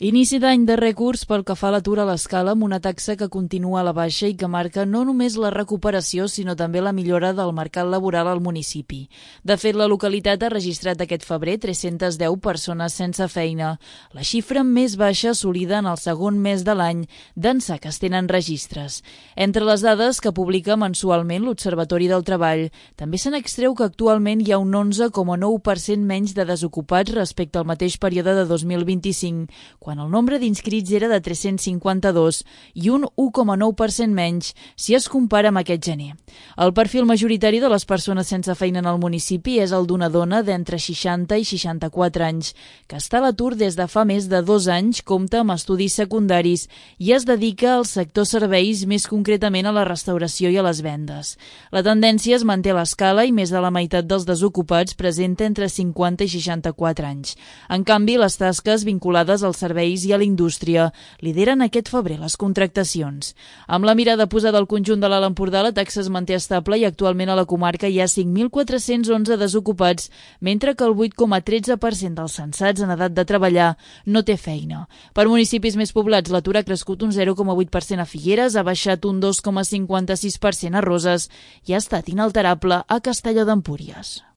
Inici d'any de rècords pel que fa a l'atur a l'Escala, amb una taxa que continua a la baixa i que marca no només la recuperació, sinó també la millora del mercat laboral al municipi. De fet, la localitat ha registrat aquest febrer 310 persones sense feina, la xifra més baixa assolida en el segon mes de l'any d'ençà que es tenen registres. Entre les dades que publica mensualment l'Observatori del Treball, també se n'extreu que actualment hi ha un 11,9% menys de desocupats respecte al mateix període de 2025, quan el nombre d'inscrits era de 352 i un 1,9% menys si es compara amb aquest gener. El perfil majoritari de les persones sense feina en el municipi és el d'una dona d'entre 60 i 64 anys, que està a l'atur des de fa més de 2 anys, compta amb estudis secundaris i es dedica al sector serveis, més concretament a la restauració i a les vendes. La tendència es manté a l'Escala i més de la meitat dels desocupats presenta entre 50 i 64 anys. En canvi, les tasques vinculades als serveis i a la indústria lideren aquest febrer les contractacions. Amb la mirada posada al conjunt de l'Alt Empordà, la taxa es manté estable i actualment a la comarca hi ha 5.411 desocupats, mentre que el 8,13% dels censats en edat de treballar no té feina. Per municipis més poblats, l'atur ha crescut un 0,8% a Figueres, ha baixat un 2,56% a Roses i ha estat inalterable a Castelló d'Empúries.